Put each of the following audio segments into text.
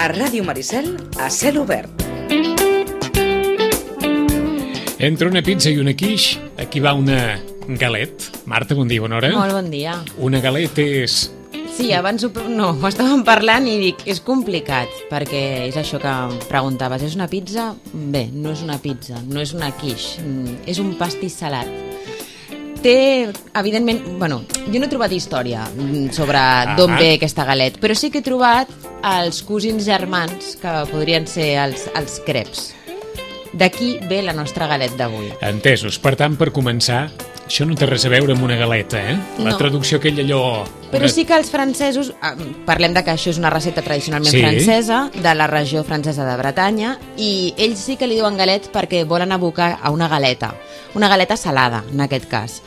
A Ràdio Maricel, a cel obert. Entre una pizza i una quiche, aquí va una galet. Marta, bon dia, bona hora. Molt bon dia. Una galet és... Sí, abans ho estàvem parlant i dic, és complicat, perquè és això que em preguntaves, és una pizza? Bé, no és una pizza, no és una quiche, és un pastís salat. Té, evidentment, bueno, jo no he trobat història sobre d'on ve aquesta galet, però sí que he trobat els cosins germans, que podrien ser els creps. D'aquí ve la nostra galet d'avui. Entesos. Per tant, per començar, això no té res a veure amb una galeta, eh? La traducció aquella allò... Però sí que els francesos, parlem de que això és una recepta tradicionalment francesa, de la regió francesa de Bretanya, i ells sí que li diuen galet perquè volen abocar a una galeta salada, en aquest cas.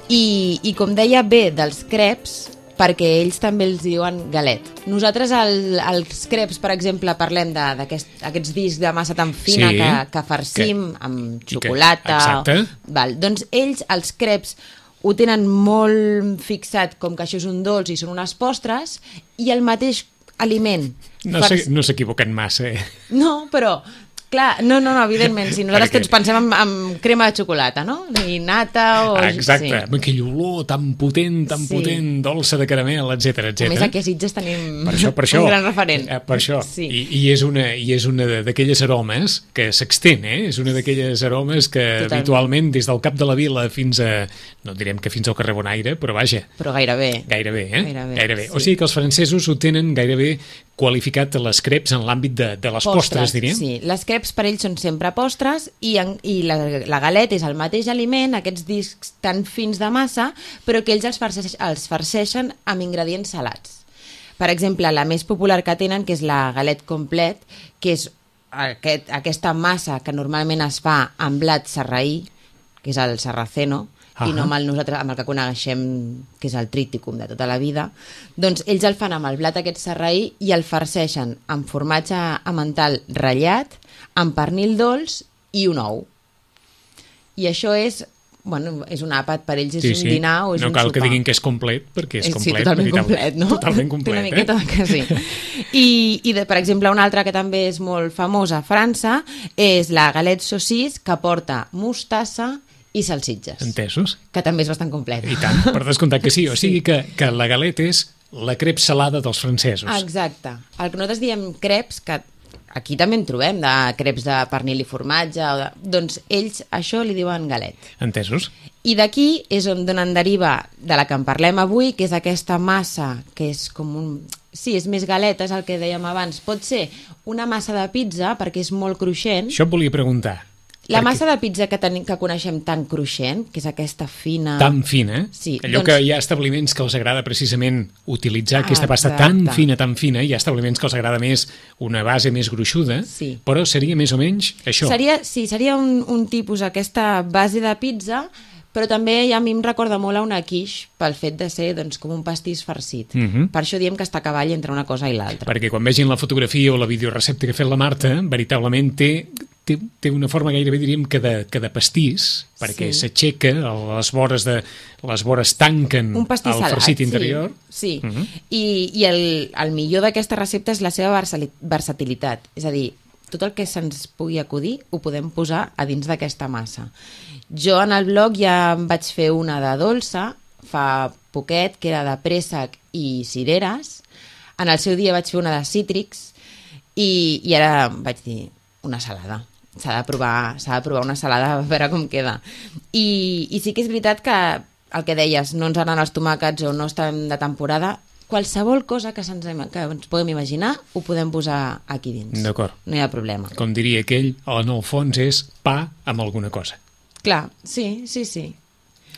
I com deia, ve dels creps, perquè ells també els diuen galet. Nosaltres als creps, per exemple, parlem d'aquests discs de massa tan fina que farcim amb xocolata. Exacte. Doncs ells, els creps, ho tenen molt fixat com que això és un dolç i són unes postres, i el mateix aliment. No s'equivoquen massa, eh? No, però... Clar, no, evidentment, si nosaltres tots pensem en crema de xocolata, no? I nata o... Exacte, amb aquell olor tan potent, dolça de caramel, etc. A més, aquí a Sitges tenim per això, un gran referent. Per això, sí. I és una d'aquelles aromes que s'extén, eh? És una d'aquelles aromes que habitualment des del cap de la vila fins a... No direm que fins al carrer Bonaire, però vaja. Però gairebé. Gairebé, eh? Gairebé. Sí. O sigui que els francesos ho tenen gairebé qualificat les crepes en l'àmbit de les postres, diríem. Sí, les crepes per ells són sempre postres i la galeta és el mateix aliment, aquests discs tan fins de massa, però que ells els farceixen amb ingredients salats. Per exemple, la més popular que tenen, que és la galet complet, que és aquesta massa que normalment es fa amb blat sarraí, que és el sarraceno, i no amb el que coneixem, que és el tríticum de tota la vida, doncs ells el fan amb el blat aquest sarraí i el farceixen amb formatge emmental ratllat, amb pernil dolç i un ou. I això és un àpat, per ells és un dinar o és un sopar. No cal que diguin que és complet, perquè és complet. Sí, totalment complet, no? Totalment complet, una miqueta que sí. I per exemple, una altra que també és molt famosa a França és la galette saucisse, que porta mostassa i salsitxes. Entesos. Que també és bastant complet. I tant, per descomptat que sí. O sigui que la galeta és la crep salada dels francesos. Exacte. El que nosaltres diem creps, que aquí també en trobem, de creps de pernil i formatge, doncs ells això li diuen galet. Entesos. I d'aquí és on en deriva de la que en parlem avui, que és aquesta massa, que és com un... Sí, és més galeta, és el que dèiem abans. Pot ser una massa de pizza, perquè és molt cruixent. Això et volia preguntar. La massa de pizza que coneixem tan cruixent, que és aquesta fina... Tan fina, sí, allò que hi ha establiments que els agrada precisament utilitzar aquesta pasta tan fina, hi ha establiments que els agrada més una base més gruixuda, però seria més o menys això. Seria un tipus, aquesta base de pizza, però també a mi em recorda molt a una quiche pel fet de ser com un pastís farcit. Per això diem que està a cavall entre una cosa i l'altra. Perquè quan vegin la fotografia o la videorecepta que ha fet la Marta, veritablement té una forma gairebé, diríem, que de pastís, perquè s'aixeca, les vores tanquen el farcit interior. Sí, i el millor d'aquesta recepta és la seva versatilitat. És a dir, tot el que se'ns pugui acudir ho podem posar a dins d'aquesta massa. Jo en el blog ja em vaig fer una de dolça, fa poquet, que era de préssec i cireres. En el seu dia vaig fer una de cítrics i ara vaig dir una salada. S'ha de provar una salada a veure com queda. I sí que és veritat que el que deies, no ens agraden els tomàquets o no estem de temporada, qualsevol cosa que ens puguem imaginar ho podem posar aquí dins. D'acord. No hi ha problema. Com diria aquell, en el fons és pa amb alguna cosa. Clar, sí.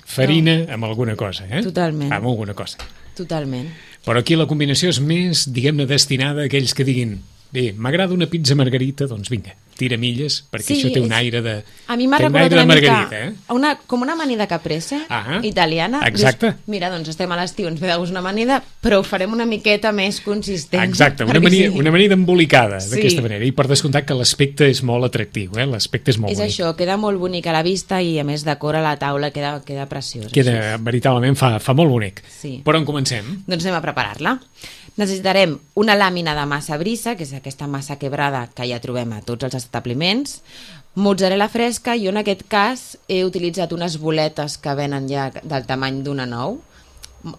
Farina amb alguna cosa, eh? Totalment. Amb alguna cosa. Totalment. Però aquí la combinació és més, diguem-ne, destinada a aquells que diguin bé, m'agrada una pizza margarita, doncs vinga, tira milles, perquè això té un aire de... A mi m'ha recordat una mica, com una amanida caprese italiana. Exacte. Dius, mira, doncs estem a l'estiu, ens ve de gust una amanida, però ho farem una miqueta més consistent. Exacte, una amanida embolicada, d'aquesta manera. I per descomptat que l'aspecte és molt atractiu, l'aspecte és molt bonic. És això, queda molt bonic a la vista i a més decora la taula, queda preciós. Veritablement fa molt bonic. Sí. Per on comencem? Doncs anem a preparar-la. Necessitarem una làmina de massa brisa, que és aquesta massa quebrada que ja trobem a tots els establiments, mozzarella fresca, i en aquest cas he utilitzat unes boletes que venen ja del tamany d'una nou.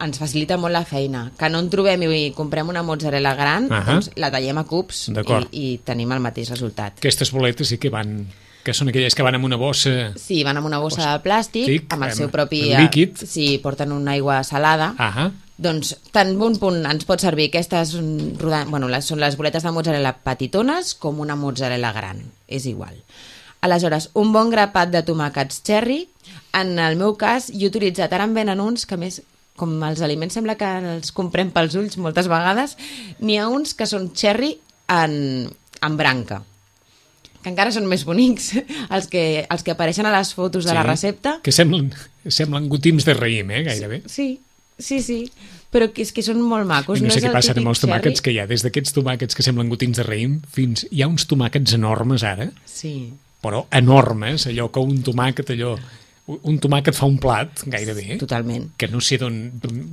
Ens facilita molt la feina. Que no en trobem i comprem una mozzarella gran, doncs la tallem a cubs i tenim el mateix resultat. Aquestes boletes sí que van... que són aquelles que van amb una bossa... Sí, van amb una bossa de plàstic, amb el seu propi líquid. Sí, porten una aigua salada. Doncs tan bon punt ens pot servir aquestes són les boletes de mozzarella petitones com una mozzarella gran, és igual. Aleshores, un bon grapat de tomàquets cherry. En el meu cas, jo he utilitzat, ara en venen uns que més, com els aliments sembla que els comprem pels ulls moltes vegades, n'hi ha uns que són cherry en branca, que encara són més bonics, els que apareixen a les fotos de la recepta. Que semblen gotims de raïm, gairebé. Sí, però és que són molt macos. No sé què passa amb els tomàquets que hi ha, des d'aquests tomàquets que semblen gotims de raïm, fins hi ha uns tomàquets enormes ara, però enormes, allò que un tomàquet fa un plat, gairebé. Totalment. Que no sé d'on...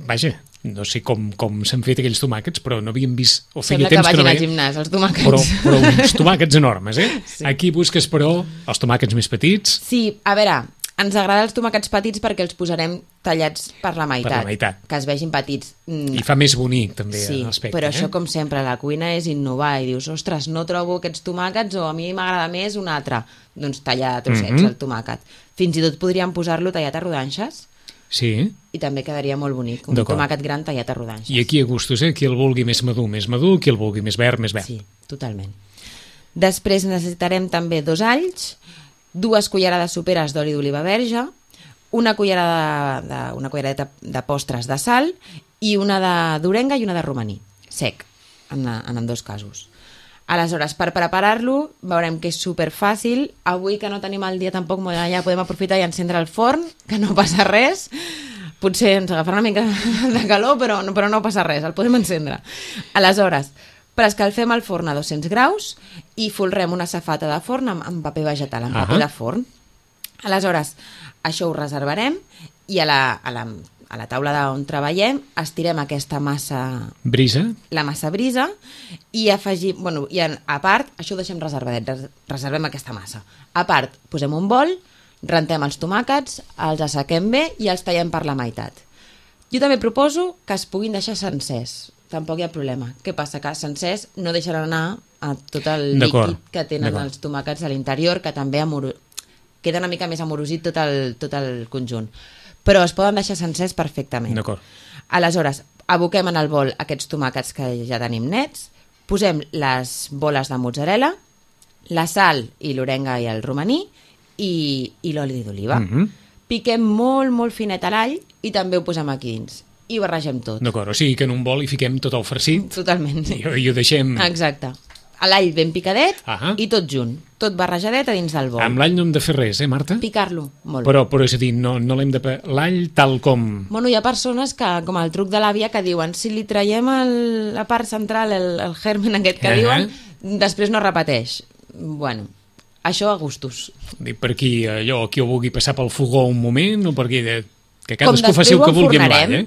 Vaja, no sé com s'han fet aquells tomàquets, però no havíem vist... Sembla que vagin al gimnàs, els tomàquets. Però uns tomàquets enormes, Sí. Aquí busques, però, els tomàquets més petits. Sí, a veure, ens agraden els tomàquets petits perquè els posarem tallats per la meitat. Que es vegin petits. I fa més bonic, també, l'aspecte. Però això, com sempre, la cuina és innovar i dius, ostres, no trobo aquests tomàquets o a mi m'agrada més un altre. Doncs tallar a trossets el tomàquet. Fins i tot podríem posar-lo tallat a rodanxes. Sí. I també quedaria molt bonic, un tomàquet gran tallat a rodanxes. I aquí a gustos, qui el vulgui més madur, qui el vulgui més verd. Sí, totalment. Després necessitarem també 2 alls, 2 cullerades soperes d'oli d'oliva verge, una cullerada de postres de sal i una d'orenga i una de romaní, sec, en ambdós casos. Aleshores, per preparar-lo, veurem que és superfàcil. Avui, que no tenim el dia tampoc, ja podem aprofitar i encendre el forn, que no passa res. Potser ens agafarà una mica de calor, però no passa res, el podem encendre. Aleshores, preescalfem el forn a 200 graus i folrem una safata de forn amb paper vegetal, amb paper de forn. Aleshores, això ho reservarem i a la taula on treballem estirem aquesta massa brisa, la massa brisa, i afegim, i a part, això ho deixem reservadet, reservem aquesta massa. A part, posem un bol, rentem els tomàquets, els assequem bé i els tallem per la meitat. Jo també proposo que es puguin deixar sencers, tampoc hi ha problema. Què passa? Que sencers no deixaran anar a tot el líquid que tenen els tomàquets a l'interior, que també queda una mica més amorosit tot el conjunt. Però es poden deixar sencers perfectament. D'acord. Aleshores, aboquem en el bol aquests tomàquets que ja tenim nets, posem les boles de mozzarella, la sal i l'orenga i el romaní i l'oli d'oliva. Piquem molt, molt finet a l'all i també ho posem aquí dins. I barregem tot. D'acord, o sigui que en un bol hi fiquem tot el farcit. Totalment. I ho deixem... Exacte. L'all ben picadet i tot junt, tot barrejadet a dins del bol. Amb l'all no hem de fer res, Marta? Picar-lo, molt. Però és a dir, no l'hem de... L'all tal com... Hi ha persones que, com el truc de l'àvia, que diuen si li traiem la part central, el germen aquest que diuen, després no repeteix. Bueno, això a gustos. Per qui ho vulgui passar pel fogó un moment, o per qui... Que cadascú faci el que vulgui amb l'all,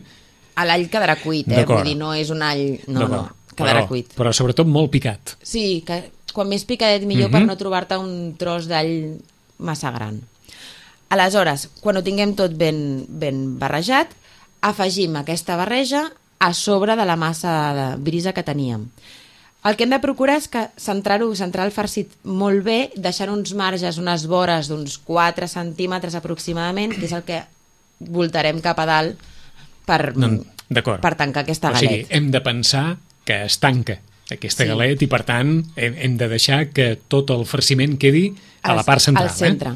l'all quedarà cuit, vull dir, no és un all... No. Quedarà cuit. Però sobretot molt picat. Sí, que quan més picadet millor per no trobar-te un tros d'all massa gran. Aleshores, quan ho tinguem tot ben barrejat, afegim aquesta barreja a sobre de la massa de brisa que teníem. El que hem de procurar és que centrar el farcit molt bé, deixant uns marges, unes vores d'uns 4 centímetres aproximadament, que és el que voltarem cap a dalt per tancar aquesta galet. O sigui, hem de pensar que es tanca aquesta galet i, per tant, hem de deixar que tot el farciment quedi a la part central. Al centre.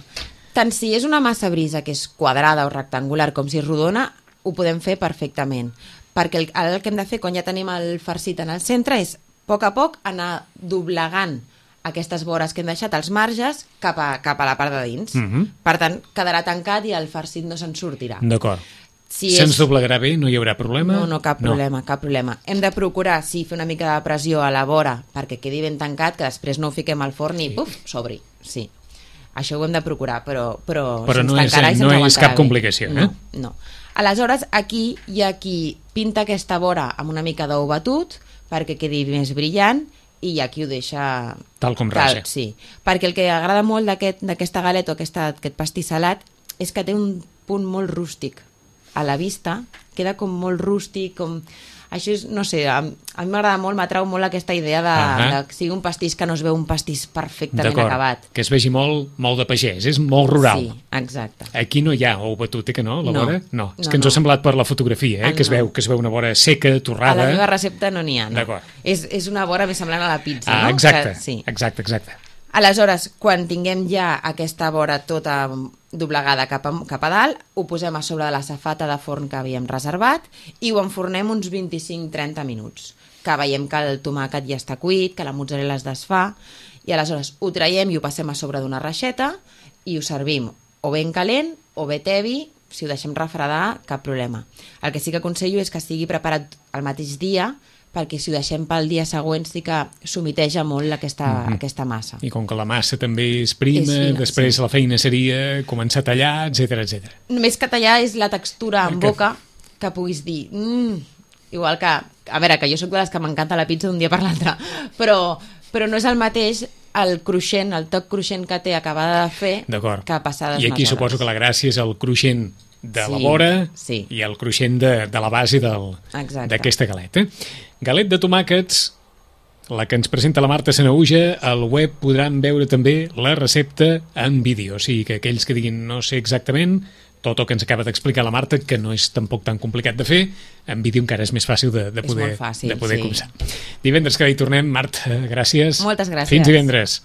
Tant si és una massa brisa que és quadrada o rectangular com si és rodona, ho podem fer perfectament. Perquè el que hem de fer quan ja tenim el farcit en el centre és, a poc anar doblegant aquestes vores que hem deixat, els marges, cap a la part de dins. Per tant, quedarà tancat i el farcit no se'n sortirà. D'acord. Se'ns doblegarà bé? No hi haurà problema? No, cap problema. Hem de procurar, fer una mica de pressió a la vora perquè quedi ben tancat, que després no ho fiquem al forn i s'obri. Sí, això ho hem de procurar, però no és cap complicació. No. Aleshores, aquí hi ha qui pinta aquesta vora amb una mica d'ou batut, perquè quedi més brillant, i hi ha qui ho deixa... Tal com raja. Sí, perquè el que agrada molt d'aquesta galeta o aquest pastís salat és que té un punt molt rústic a la vista, queda com molt rústic, com... Això és, no sé, a mi m'agrada molt, m'atrau molt aquesta idea de que sigui un pastís que no es veu un pastís perfectament acabat. Que es vegi molt de pagès, és molt rural. Sí, exacte. Aquí no hi ha ou batut, que no, la vora? No, és que ens ho ha semblat per la fotografia, que es veu una vora seca, torrada. A la meva recepta no n'hi ha, no. D'acord. És una vora més semblant a la pizza, no? Exacte, exacte. Aleshores, quan tinguem ja aquesta vora tota doblegada cap a dalt, ho posem a sobre de la safata de forn que havíem reservat i ho enfornem uns 25-30 minuts, que veiem que el tomàquet ja està cuit, que la mozzarella es desfà, i aleshores ho traiem i ho passem a sobre d'una reixeta i ho servim o ben calent o bé tebi. Si ho deixem refredar, cap problema. El que sí que aconsello és que estigui preparat el mateix dia, perquè si ho deixem pel dia següent sí que s'humiteja molt aquesta massa. I com que la massa també és prima, després la feina seria començar a tallar, etc. Només que tallar és la textura en boca que puguis dir... Igual que... A veure, que jo soc de les que m'encanta la pizza d'un dia per l'altre, però no és el mateix el cruixent, el toc cruixent que té acabada de fer que passades I aquí unes suposo hores. que la gràcia és el cruixent de la vora i el cruixent de la base d'aquesta galeta. Galet de tomàquets, la que ens presenta la Marta Sanahuja. Al web podran veure també la recepta en vídeo, o sigui que aquells que diguin no sé exactament tot el que ens acaba d'explicar la Marta, que no és tampoc tan complicat de fer, en vídeo encara és més fàcil de poder començar. Divendres que hi tornem. Marta, gràcies. Moltes gràcies. Fins divendres.